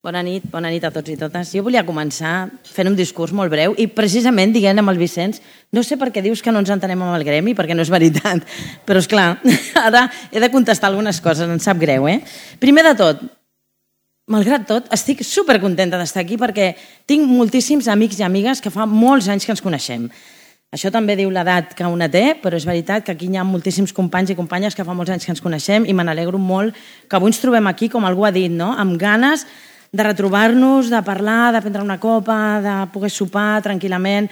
Bona nit a tots i totes. Jo volia començar fent un discurs molt breu i precisament dient amb el Vicenç, no sé per què dius que no ens entenem amb el gremi, perquè no és veritat, però és clar, ara he de contestar algunes coses, em sap greu. Primer de tot, malgrat tot, estic supercontenta d'estar aquí perquè tinc moltíssims amics i amigues que fa molts anys que ens coneixem. Això també diu l'edat que una té, però és veritat que aquí hi ha moltíssims companys i companyes que fa molts anys que ens coneixem i me n'alegro molt que avui ens trobem aquí, com algú ha dit, no? Amb ganes de retrobar-nos, de parlar, de prendre una copa, de poder sopar tranquil·lament,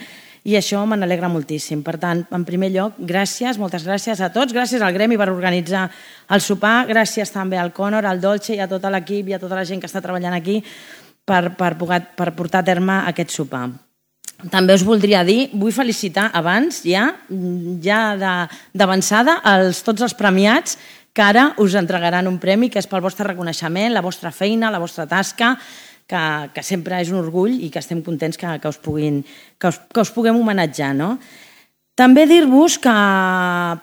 i això me n'alegra moltíssim. Per tant, en primer lloc, gràcies, moltes gràcies a tots, gràcies al Gremi per organitzar el sopar, gràcies també al Conor, al Dolce i a tot l'equip i a tota la gent que està treballant aquí per portar a terme aquest sopar. També us voldria dir, vull felicitar abans, ja d'avançada, tots els premiats que ara us entregaran un premi que és pel vostre reconeixement, la vostra feina, la vostra tasca, que sempre és un orgull i que estem contents que us puguem homenatjar. També dir-vos que,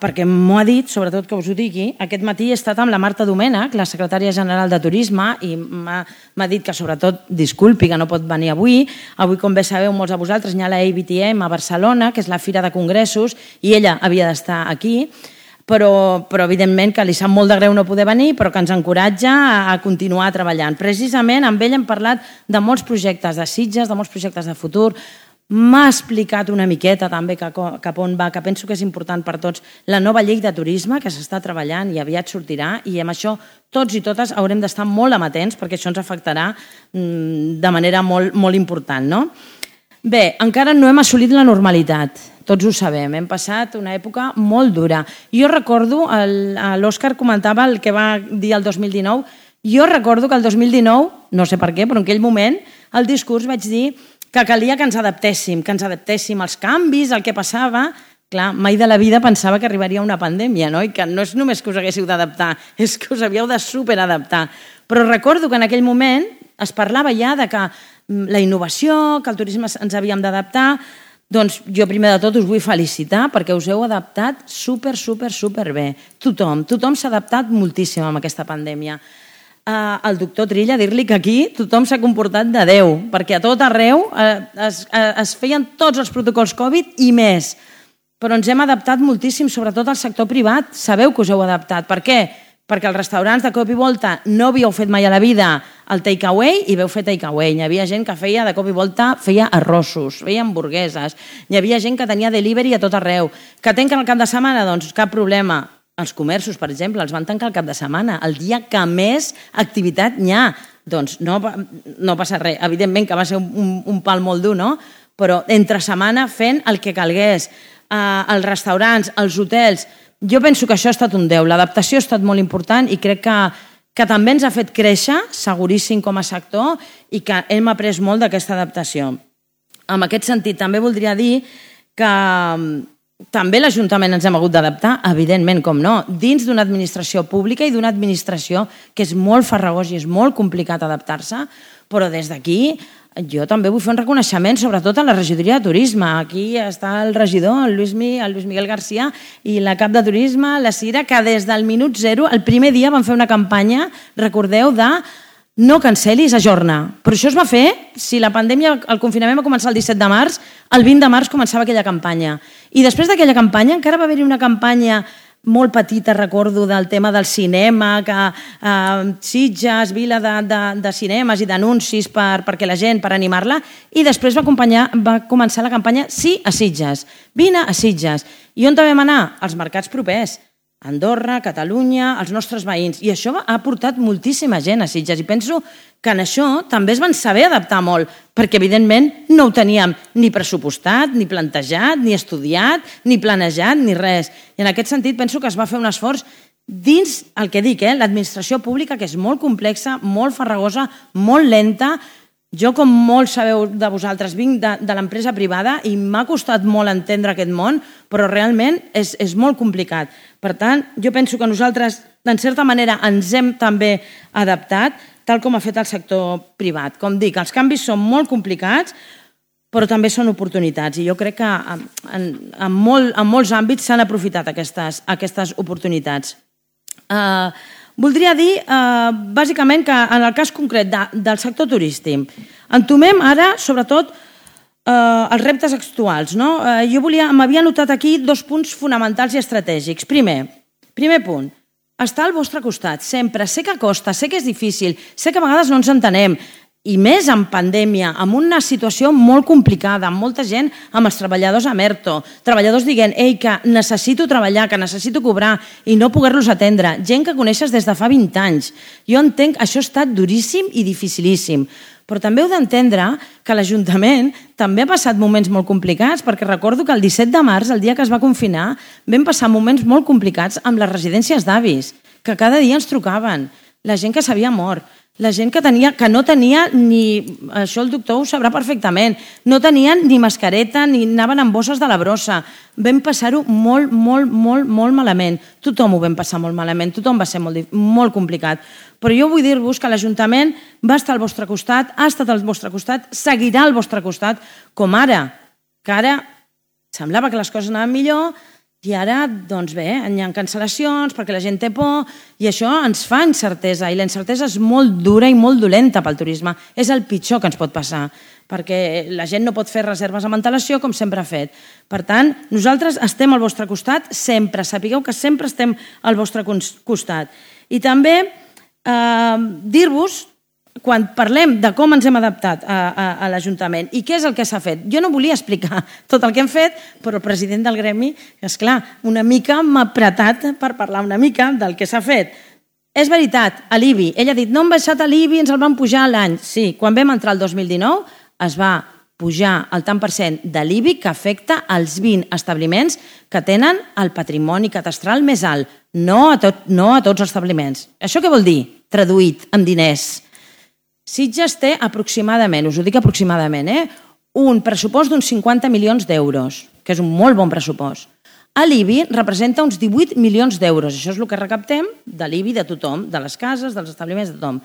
perquè m'ho ha dit, sobretot que us ho digui, aquest matí he estat amb la Marta Domènech, la secretària general de Turisme, i m'ha dit que sobretot disculpi que no pot venir avui. Avui, com bé sabeu molts de vosaltres, hi ha la ABTM a Barcelona, que és la fira de congressos, i ella havia d'estar aquí, però evidentment que li sap molt de greu no poder venir, però que ens encoratja a continuar treballant. Precisament amb ell hem parlat de molts projectes de Sitges, de molts projectes de futur. M'ha explicat una miqueta també cap on va, que penso que és important per tots, la nova llei de turisme que s'està treballant i aviat sortirà, i amb això tots i totes haurem d'estar molt amatents perquè això ens afectarà de manera molt important. Bé, encara no hem assolit la normalitat, tots ho sabem, hem passat una època molt dura. Jo recordo, l'Òscar comentava el que va dir el 2019, jo recordo que el 2019, no sé per què, però en aquell moment, al discurs vaig dir que calia que ens adaptéssim als canvis, al que passava. Clar, mai de la vida pensava que arribaria una pandèmia, i que no és només que us haguéssiu d'adaptar, és que us havíeu de superadaptar. Però recordo que en aquell moment es parlava ja de que la innovació, que el turisme ens havíem d'adaptar. Doncs jo primer de tot us vull felicitar perquè us heu adaptat super bé. Tothom s'ha adaptat moltíssim amb aquesta pandèmia. Al doctor Trilla dir-li que aquí tothom s'ha comportat de Déu, perquè a tot arreu es feien tots els protocols Covid i més. Però ens hem adaptat moltíssim, sobretot al sector privat. Sabeu que us heu adaptat. Per què? Perquè els restaurants de cop i volta no havíeu fet mai a la vida el take-away i veu fer take-away. Hi havia gent que feia de cop i volta arrossos, feia hamburgueses, hi havia gent que tenia delivery a tot arreu. Que tanquen el cap de setmana? Doncs cap problema. Els comerços, per exemple, els van tancar el cap de setmana, el dia que més activitat n'hi ha. Doncs no passa res. Evidentment que va ser un pal molt dur, no? Però entre setmana fent el que calgués. Els restaurants, els hotels. Jo penso que això ha estat un 10. L'adaptació ha estat molt important i crec que també ens ha fet créixer, seguríssim com a sector, i que hem après molt d'aquesta adaptació. En aquest sentit, també voldria dir que també l'Ajuntament ens hem hagut d'adaptar, evidentment, com no, dins d'una administració pública i d'una administració que és molt farragós i és molt complicat adaptar-se, però des d'aquí jo també vull fer un reconeixement sobretot a la regidoria de turisme. Aquí està el regidor, el Lluís Miguel García, i la cap de turisme, la Cira, que des del minut zero, el primer dia van fer una campanya, recordeu, de no cancelis, ajorna. Però això es va fer, si la pandèmia, el confinament va començar el 17 de març, el 20 de març començava aquella campanya. I després d'aquella campanya encara va haver-hi una campanya molt petita, recordo, del tema del cinema, que Sitges, vila de cinemes i d'anuncis perquè la gent, per animar-la, i després va començar la campanya Sí a Sitges, vine a Sitges. I on vam anar? Als mercats propers, Andorra, Catalunya, els nostres veïns, i això ha portat moltíssima gent a Sitges, i penso que en això també es van saber adaptar molt, perquè evidentment no ho teníem ni pressupostat, ni plantejat, ni estudiat, ni planejat, ni res. I en aquest sentit penso que es va fer un esforç dins el que dic, l'administració pública, que és molt complexa, molt farragosa, molt lenta. Jo, com molts sabeu de vosaltres, vinc de l'empresa privada i m'ha costat molt entendre aquest món, però realment és molt complicat. Per tant, jo penso que nosaltres, en certa manera, ens hem també adaptat, tal com ha fet el sector privat. Com dic, els canvis són molt complicats, però també són oportunitats. I jo crec que en molts àmbits s'han aprofitat aquestes oportunitats. Voldria dir, bàsicament, que en el cas concret del sector turístic, entomem ara, sobretot, els reptes actuals. Jo m'havia anotat aquí 2 punts fonamentals i estratègics. Primer punt, estar al vostre costat, sempre. Sé que costa, sé que és difícil, sé que a vegades no ens entenem, i més en pandèmia, amb una situació molt complicada, amb molta gent, amb els treballadors a ERTO, treballadors dient, que necessito treballar, que necessito cobrar i no poder-los atendre, gent que coneixes des de fa 20 anys. Jo entenc que això ha estat duríssim i dificilíssim, però també heu d'entendre que l'Ajuntament també ha passat moments molt complicats, perquè recordo que el 17 de març, el dia que es va confinar, vam passar moments molt complicats amb les residències d'avis, que cada dia ens trucaven, la gent que s'havia mort, la gent que no tenia ni... Això el doctor ho sabrà perfectament. No tenien ni mascareta, ni anaven amb bosses de la brossa. Vam passar-ho molt, molt, molt, molt malament. Tothom ho vam passar molt malament, tothom va ser molt complicat. Però jo vull dir-vos que l'Ajuntament va estar al vostre costat, ha estat al vostre costat, seguirà al vostre costat, com ara, que ara semblava que les coses anaven millor, i ara, doncs bé, hi ha cancel·lacions perquè la gent té por i això ens fa incertesa i la incertesa és molt dura i molt dolenta pel turisme. És el pitjor que ens pot passar perquè la gent no pot fer reserves amb antelació com sempre ha fet. Per tant, nosaltres estem al vostre costat sempre. Sapigueu que sempre estem al vostre costat. I també dir-vos, quan parlem de com ens hem adaptat a l'Ajuntament i què és el que s'ha fet. Jo no volia explicar tot el que hem fet, però el president del gremi, esclar, una mica m'ha apretat per parlar una mica del que s'ha fet. És veritat, a l'IBI. Ell ha dit, no hem baixat a l'IBI, ens el van pujar l'any. Sí, quan vam entrar el 2019 es va pujar el tant per cent de l'IBI que afecta als 20 establiments que tenen el patrimoni catastral més alt, no a tots els establiments. Això què vol dir? Traduït en diners. Sitges té aproximadament, us ho dic aproximadament, un pressupost d'uns 50 milions d'euros, que és un molt bon pressupost. A l'IBI representa uns 18 milions d'euros. Això és el que recaptem de l'IBI de tothom, de les cases, dels establiments, de tothom.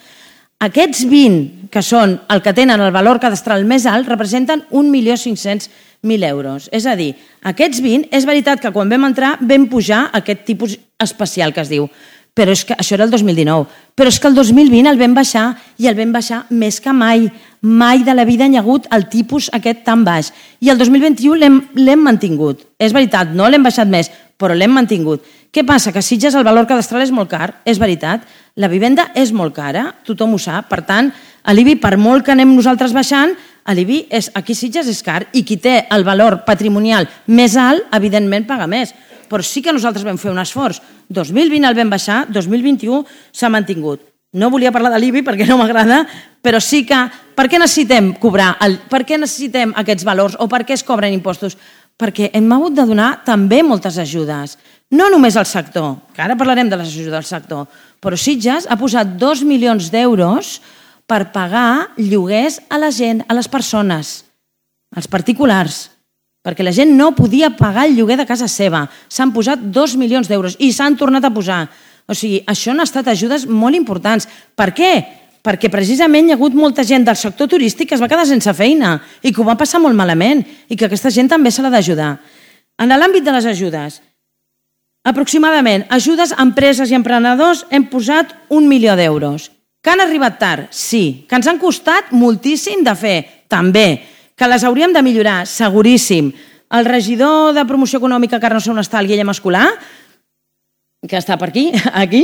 Aquests 20, que són el que tenen el valor cadastral més alt, representen 1.500.000 euros. És a dir, aquests 20, és veritat que quan vam entrar vam pujar aquest tipus especial que es diu, però és que això era el 2019. Però és que el 2020 el vam baixar i el vam baixar més que mai. Mai de la vida hi ha hagut el tipus aquest tan baix. I el 2021 l'hem mantingut. És veritat, no l'hem baixat més, però l'hem mantingut. Què passa? Que a Sitges el valor cadastral és molt car, és veritat. La vivenda és molt cara, tothom ho sap. Per tant, a l'IBI, per molt que anem nosaltres baixant, a l'IBI aquí a Sitges és car i qui té el valor patrimonial més alt, evidentment paga més. Però sí que nosaltres vam fer un esforç. 2020 el vam baixar, 2021 s'ha mantingut. No volia parlar de l'IBI perquè no m'agrada, però sí que... Per què necessitem cobrar? Per què necessitem aquests valors? O per què es cobren impostos? Perquè hem hagut de donar també moltes ajudes. No només al sector, que ara parlarem de les ajudes del sector, però Sitges ha posat 2 milions d'euros per pagar lloguers a la gent, a les persones, als particulars, perquè la gent no podia pagar el lloguer de casa seva. S'han posat 2 milions d'euros i s'han tornat a posar. O sigui, això han estat ajudes molt importants. Per què? Perquè precisament hi ha hagut molta gent del sector turístic que es va quedar sense feina i que ho va passar molt malament i que aquesta gent també se l'ha d'ajudar. En l'àmbit de les ajudes, aproximadament, ajudes a empreses i emprenedors hem posat 1 milió d'euros. Que han arribat tard? Sí. Que ens han costat moltíssim de fer? També. Que les hauríem de millorar, seguríssim. El regidor de Promoció Econòmica, que ara no sé on està, el Guillem Escolà, que està per aquí,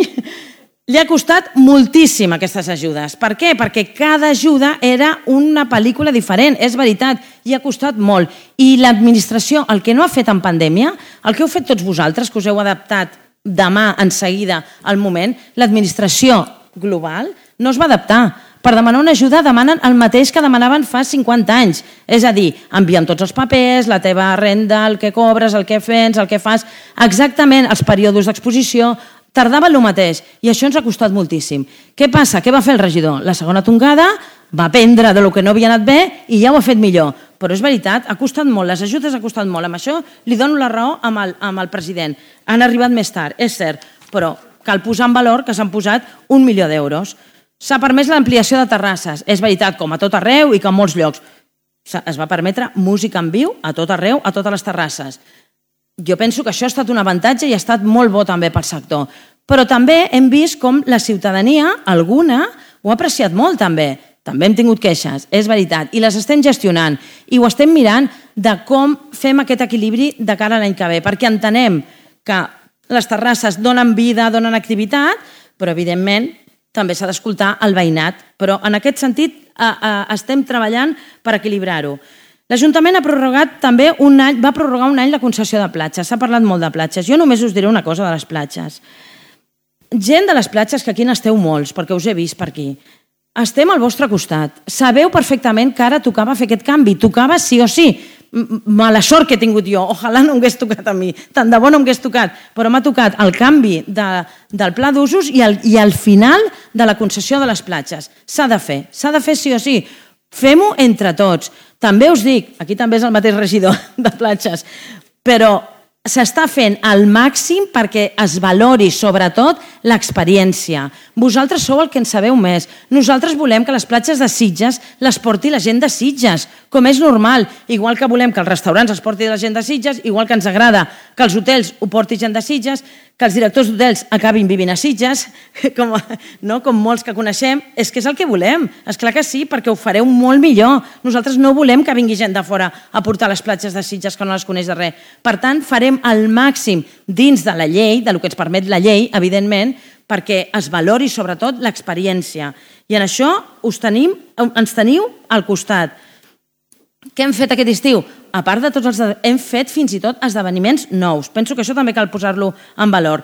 li ha costat moltíssim aquestes ajudes. Per què? Perquè cada ajuda era una pel·lícula diferent, és veritat, i ha costat molt. I l'administració, el que no ha fet en pandèmia, el que heu fet tots vosaltres, que us heu adaptat demà, en seguida, al moment, l'administració global no es va adaptar. Per demanar una ajuda demanen el mateix que demanaven fa 50 anys. És a dir, envien tots els papers, la teva renda, el que cobres, el que fes, el que fas, exactament els períodes d'exposició, tardaven el mateix i això ens ha costat moltíssim. Què passa? Què va fer el regidor? La segona tongada va aprendre de lo que no havia anat bé i ja ho ha fet millor. Però és veritat, ha costat molt, les ajudes ha costat molt. Amb això li dono la raó amb el president. Han arribat més tard, és cert, però cal posar en valor que s'han posat 1 milió d'euros. S'ha permès l'ampliació de terrasses. És veritat, com a tot arreu i com a molts llocs. Es va permetre música en viu a tot arreu, a totes les terrasses. Jo penso que això ha estat un avantatge i ha estat molt bo també pel sector. Però també hem vist com la ciutadania, alguna, ho ha apreciat molt també. També hem tingut queixes, és veritat, i les estem gestionant i ho estem mirant de com fem aquest equilibri de cara a l'any que ve, perquè entenem que les terrasses donen vida, donen activitat, però evidentment també s'ha d'escoltar el veïnat. Però en aquest sentit estem treballant per equilibrar-ho. L'Ajuntament ha prorrogat també va prorrogar un any la concessió de platges. S'ha parlat molt de platges. Jo només us diré una cosa de les platges. Gent de les platges, que aquí n'esteu molts, perquè us he vist per aquí, estem al vostre costat. Sabeu perfectament que ara tocava fer aquest canvi. Tocava sí o sí. Mala sort que he tingut jo. Ojalà no m'hagués tocat a mi. Tant de bo no m'hagués tocat. Però m'ha tocat el canvi del pla d'usos i el final de la concessió de les platges. S'ha de fer. S'ha de fer sí o sí. Fem-ho entre tots. També us dic, aquí també és el mateix regidor de platges, però s'està fent al màxim perquè es valori, sobretot, l'experiència. Vosaltres sou el que en sabeu més. Nosaltres volem que les platges de Sitges les porti la gent de Sitges, com és normal. Igual que volem que els restaurants els porti la gent de Sitges, igual que ens agrada que els hotels ho porti gent de Sitges, que els directors d'hotels acabin vivint a Sitges, com molts que coneixem. És que és el que volem. És clar que sí, perquè ho fareu molt millor. Nosaltres no volem que vingui gent de fora a portar les platges de Sitges que no les coneix de res. Per tant, farem al màxim dins de la llei, del que ens permet la llei, evidentment, perquè es valori sobretot l'experiència. I en això ens teniu al costat. Què hem fet aquest estiu? A part de tots hem fet fins i tot esdeveniments nous. Penso que això també cal posar-lo en valor.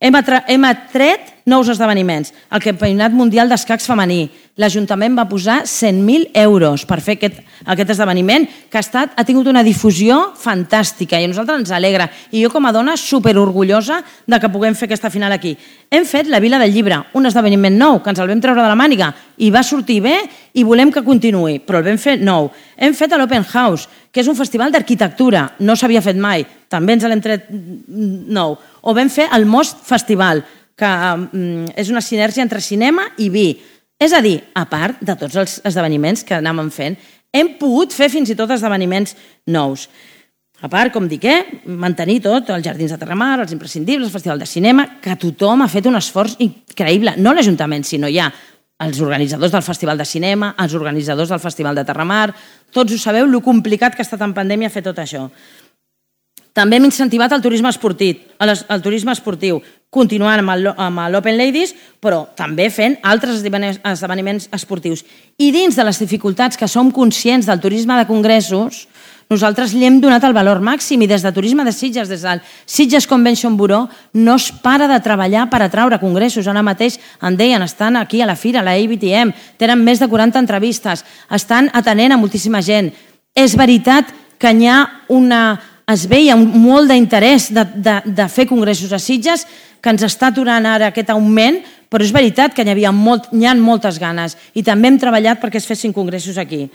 Hem atret nous esdeveniments. El Campionat Mundial d'Escacs Femení. L'Ajuntament va posar 100.000 euros per fer aquest esdeveniment que ha tingut una difusió fantàstica i a nosaltres ens alegra. I jo com a dona superorgullosa de que puguem fer aquesta final aquí. Hem fet la Vila del Llibre, un esdeveniment nou que ens el vam treure de la màniga i va sortir bé i volem que continuï, però el vam fer nou. Hem fet l'Open House, que és un festival d'arquitectura, no s'havia fet mai, també ens l'hem tret nou. O vam fer el Most Festival, que és una sinergia entre cinema i vi. És a dir, a part de tots els esdeveniments que anàvem fent, hem pogut fer fins i tot esdeveniments nous. A part, com dic, mantenir tot, els Jardins de Terramar, els imprescindibles, el Festival de Cinema, que tothom ha fet un esforç increïble, no l'Ajuntament, sinó ja els organitzadors del Festival de Cinema, els organitzadors del Festival de Terramar, tots ho sabeu, lo complicat que ha estat en pandèmia fer tot això. També hem incentivat el turisme esportiu, continuant amb l'Open Ladies, però també fent altres esdeveniments esportius. I dins de les dificultats que som conscients del turisme de congressos, nosaltres li hem donat el valor màxim i des de Turisme de Sitges, des del Sitges Convention Bureau, no es para de treballar per atraure congressos. Ara mateix em deien, estan aquí a la fira, a la IBTM, tenen més de 40 entrevistes, estan atenent a moltíssima gent. És veritat que es veia molt d'interès de fer congressos a Sitges, que ens està aturant ara aquest augment, però és veritat que hi ha moltes ganes i també hem treballat perquè es fessin congressos aquí.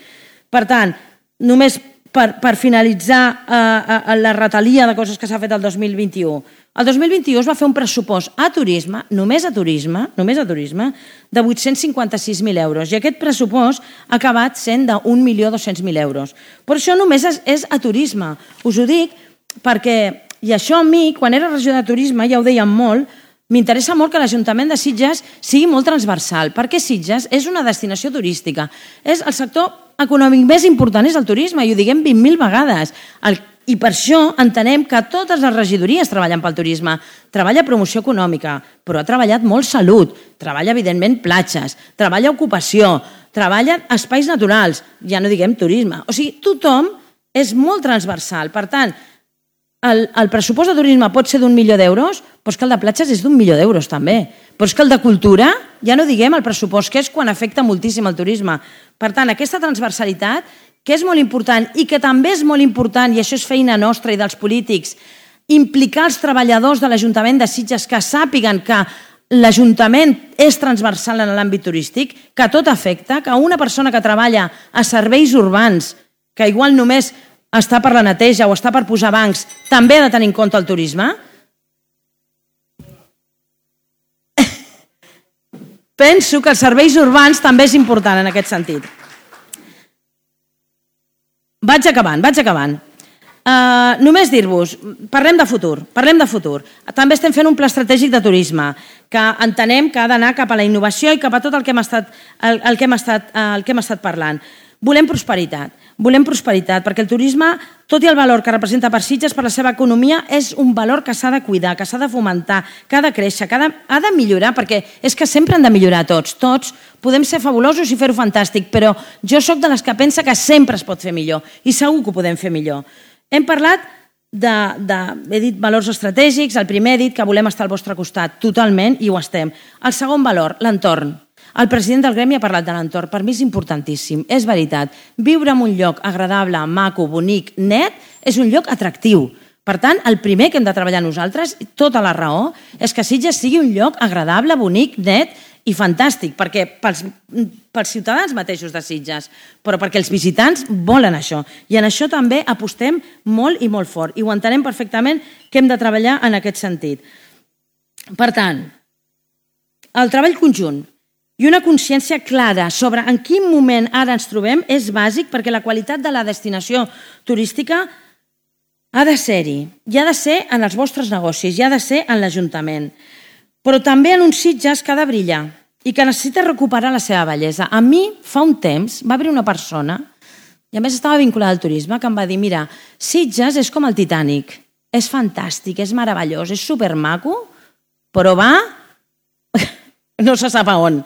Per tant, només per finalitzar la retalia de coses que s'ha fet el 2021. El 2021 es va fer un pressupost a turisme, només a turisme, de 856.000 euros. I aquest pressupost ha acabat sent de 1.200.000 euros. Però això només és a turisme. Us ho dic perquè, i això a mi, quan era regidor de turisme, ja ho dèiem molt, m'interessa molt que l'Ajuntament de Sitges sigui molt transversal, perquè Sitges és una destinació turística. El sector econòmic més important és el turisme, i ho diguem 20.000 vegades. I per això entenem que totes les regidories treballen pel turisme. Treballa promoció econòmica, però ha treballat molt salut, treballa evidentment platges, treballa ocupació, treballa espais naturals, ja no diguem turisme. O sigui, tothom és molt transversal. Per tant, el pressupost de turisme pot ser d'1 milió d'euros, però és que el de platges és d'1 milió d'euros també. Però és que el de cultura, ja no diguem el pressupost, que és quan afecta moltíssim el turisme. Per tant, aquesta transversalitat, que és molt important i que també és molt important, i això és feina nostra i dels polítics, implicar els treballadors de l'Ajuntament de Sitges que sàpiguen que l'Ajuntament és transversal en l'àmbit turístic, que tot afecta, que una persona que treballa a serveis urbans, que igual només està per la neteja o està per posar bancs, també ha de tenir en compte el turisme. Penso que els serveis urbans també és important en aquest sentit. Vaig acabant. Només dir-vos, parlem de futur. També estem fent un pla estratègic de turisme que entenem que ha d'anar cap a la innovació i cap a tot el que hem estat parlant. Volem prosperitat, perquè el turisme, tot i el valor que representa per Sitges, per la seva economia, és un valor que s'ha de cuidar, que s'ha de fomentar, que ha de créixer, que ha de millorar, perquè és que sempre han de millorar tots. Tots podem ser fabulosos i fer-ho fantàstic, però jo sóc de les que pensa que sempre es pot fer millor, i segur que ho podem fer millor. Hem parlat he dit valors estratègics, el primer he dit que volem estar al vostre costat, totalment, i ho estem. El segon valor, l'entorn. El president del gremi ha parlat de l'entorn. Per mi és importantíssim, és veritat. Viure en un lloc agradable, maco, bonic, net, és un lloc atractiu. Per tant, el primer que hem de treballar nosaltres, tota la raó, és que Sitges sigui un lloc agradable, bonic, net i fantàstic, perquè pels ciutadans mateixos de Sitges, però perquè els visitants volen això. I en això també apostem molt i molt fort. I ho entenem perfectament que hem de treballar en aquest sentit. Per tant, el treball conjunt i una consciència clara sobre en quin moment ara ens trobem és bàsic perquè la qualitat de la destinació turística ha de ser-hi. I ha de ser en els vostres negocis, i ha de ser en l'Ajuntament. Però també en un Sitges que ha de brillar i que necessita recuperar la seva bellesa. A mi, fa un temps, va haver una persona, i a més estava vinculada al turisme, que em va dir, mira, Sitges és com el Titanic, és fantàstic, és meravellós, és supermaco, però va... no se sap a on.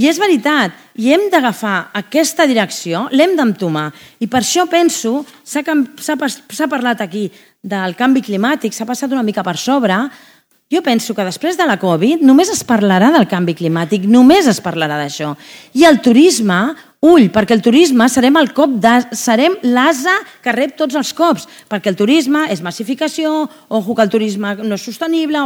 I és veritat, i hem d'agafar aquesta direcció, l'hem d'entomar. I per això penso, s'ha parlat aquí del canvi climàtic, s'ha passat una mica per sobre, jo penso que després de la Covid només es parlarà del canvi climàtic, només es parlarà d'això. I el turisme, perquè el turisme serem l'asa que rep tots els cops, perquè el turisme és massificació, ojo que el turisme no és sostenible,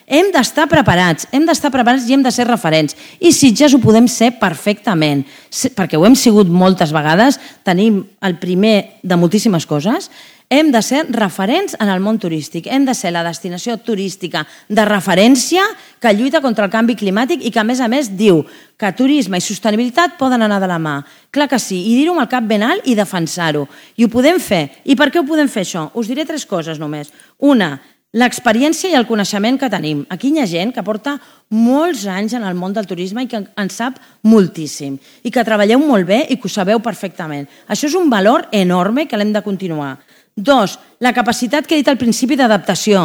hem d'estar preparats i hem de ser referents. I Sitges ho podem ser perfectament, perquè ho hem sigut moltes vegades, tenim el primer de moltíssimes coses. Hem de ser referents en el món turístic, hem de ser la destinació turística de referència que lluita contra el canvi climàtic i que, a més, diu que turisme i sostenibilitat poden anar de la mà. Clar que sí, i dir-ho amb el cap ben alt i defensar-ho. I ho podem fer. I per què ho podem fer, això? Us diré 3 coses només. Una, l'experiència i el coneixement que tenim. Aquí hi ha gent que porta molts anys en el món del turisme i que en sap moltíssim i que treballeu molt bé i que ho sabeu perfectament. Això és un valor enorme que l'hem de continuar. 2, la capacitat que he dit al principi d'adaptació.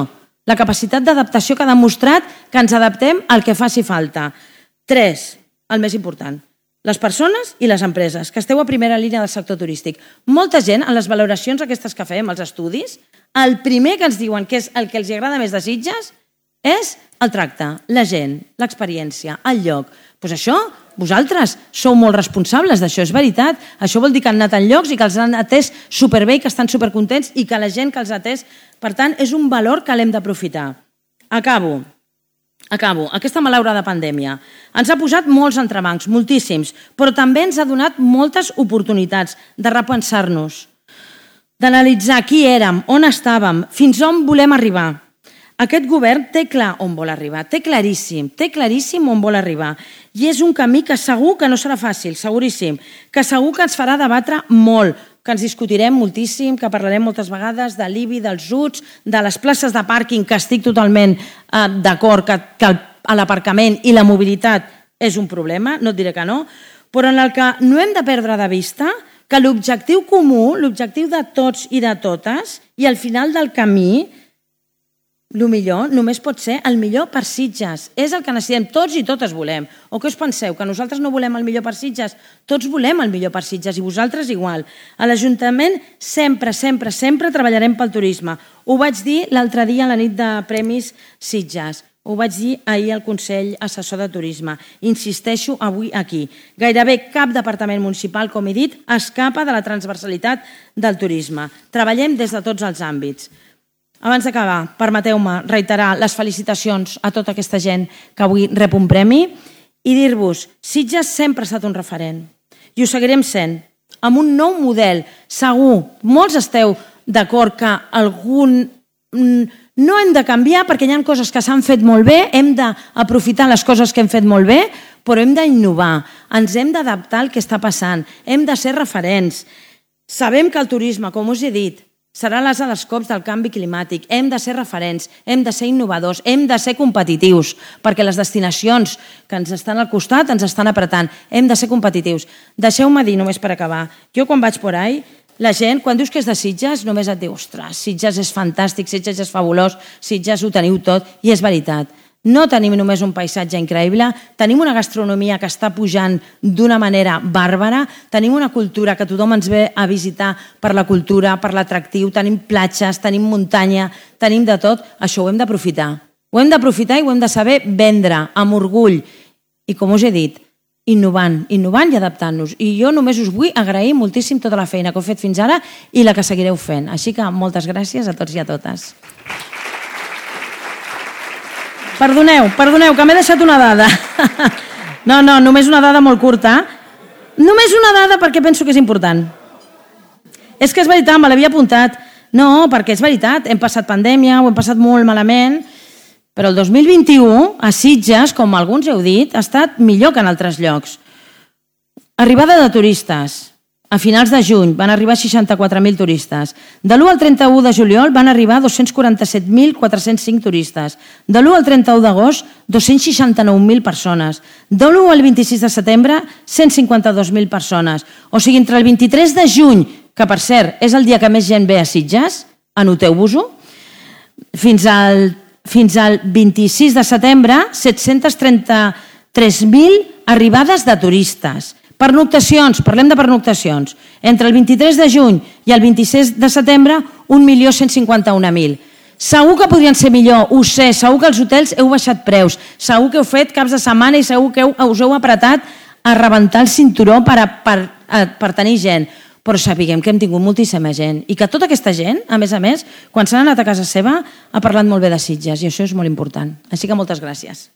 La capacitat d'adaptació que ha demostrat que ens adaptem al que faci falta. 3, el més important, les persones i les empreses, que esteu a primera línia del sector turístic. Molta gent, en les valoracions aquestes que fem, els estudis, el primer que ens diuen que és el que els agrada més de Sitges és el tracte, la gent, l'experiència, el lloc. Doncs això, vosaltres sou molt responsables d'això, és veritat. Això vol dir que han anat en llocs i que els han atès superbé i que estan supercontents i que la gent que els ha atès, per tant, és un valor que l'hem d'aprofitar. Acabo. Aquesta malaurada pandèmia ens ha posat molts entrebancs, moltíssims, però també ens ha donat moltes oportunitats de repensar-nos, d'analitzar qui érem, on estàvem, fins on volem arribar. Aquest govern té clar on vol arribar, té claríssim on vol arribar. I és un camí que segur que no serà fàcil, seguríssim, que segur que ens farà debatre molt, que ens discutirem moltíssim, que parlarem moltes vegades de l'IBI, dels UTS, de les places de pàrquing, que estic totalment d'acord que l'aparcament i la mobilitat és un problema, no et diré que no, però en el que no hem de perdre de vista que l'objectiu comú, l'objectiu de tots i de totes, i al final del camí, el millor només pot ser el millor per Sitges. És el que necessitem, tots i totes volem. O què us penseu, que nosaltres no volem el millor per Sitges? Tots volem el millor per Sitges i vosaltres igual. A l'Ajuntament sempre treballarem pel turisme. Ho vaig dir l'altre dia a la nit de Premis Sitges. Ho vaig dir ahir al Consell Assessor de Turisme. Insisteixo avui aquí. Gairebé cap departament municipal, com he dit, escapa de la transversalitat del turisme. Treballem des de tots els àmbits. Abans d'acabar, permeteu-me reiterar les felicitacions a tota aquesta gent que avui rep un premi i dir-vos, Sitges sempre ha estat un referent i ho seguirem sent, amb un nou model, segur. Molts esteu d'acord que no hem de canviar perquè hi ha coses que s'han fet molt bé, hem d'aprofitar les coses que hem fet molt bé, però hem d'innovar, ens hem d'adaptar al que està passant, hem de ser referents. Sabem que el turisme, com us he dit, serà l'ase dels cops del canvi climàtic. Hem de ser referents, hem de ser innovadors, hem de ser competitius, perquè les destinacions que ens estan al costat ens estan apretant. Hem de ser competitius. Deixeu-me dir, només per acabar, jo quan vaig por ahí, la gent, quan dius que és de Sitges, només et diu, ostres, Sitges és fantàstic, Sitges és fabulós, Sitges ho teniu tot, i és veritat. No tenim només un paisatge increïble, tenim una gastronomia que està pujant d'una manera bàrbara, tenim una cultura que tothom ens ve a visitar per la cultura, per l'atractiu, tenim platges, tenim muntanya, tenim de tot, això ho hem d'aprofitar. Ho hem d'aprofitar i ho hem de saber vendre amb orgull i, com us he dit, innovant i adaptant-nos. I jo només us vull agrair moltíssim tota la feina que heu fet fins ara i la que seguireu fent. Així que moltes gràcies a tots i a totes. Perdoneu, que m'he deixat una dada. No, només una dada molt curta. Només una dada perquè penso que és important. És que és veritat, me l'havia apuntat. No, perquè és veritat, hem passat pandèmia, ho hem passat molt malament, però el 2021 a Sitges, com alguns heu dit, ha estat millor que en altres llocs. Arribada de turistes. A finals de juny van arribar 64.000 turistes. De l'1 al 31 de juliol van arribar 247.405 turistes. De l'1 al 31 d'agost, 269.000 persones. De l'1 al 26 de setembre, 152.000 persones. O sigui, entre el 23 de juny, que per cert és el dia que més gent ve a Sitges, anoteu-vos-ho, fins al 26 de setembre, 733.000 arribades de turistes. Pernoctacions, parlem de pernoctacions. Entre el 23 de juny i el 26 de setembre, 1.151.000. Segur que podrien ser millor, ho sé, segur que els hotels heu baixat preus, segur que heu fet caps de setmana i segur que us heu apretat a rebentar el cinturó per tenir gent. Però sapiguem que hem tingut moltíssima gent i que tota aquesta gent, a més, quan s'han anat a casa seva, ha parlat molt bé de Sitges i això és molt important. Així que moltes gràcies.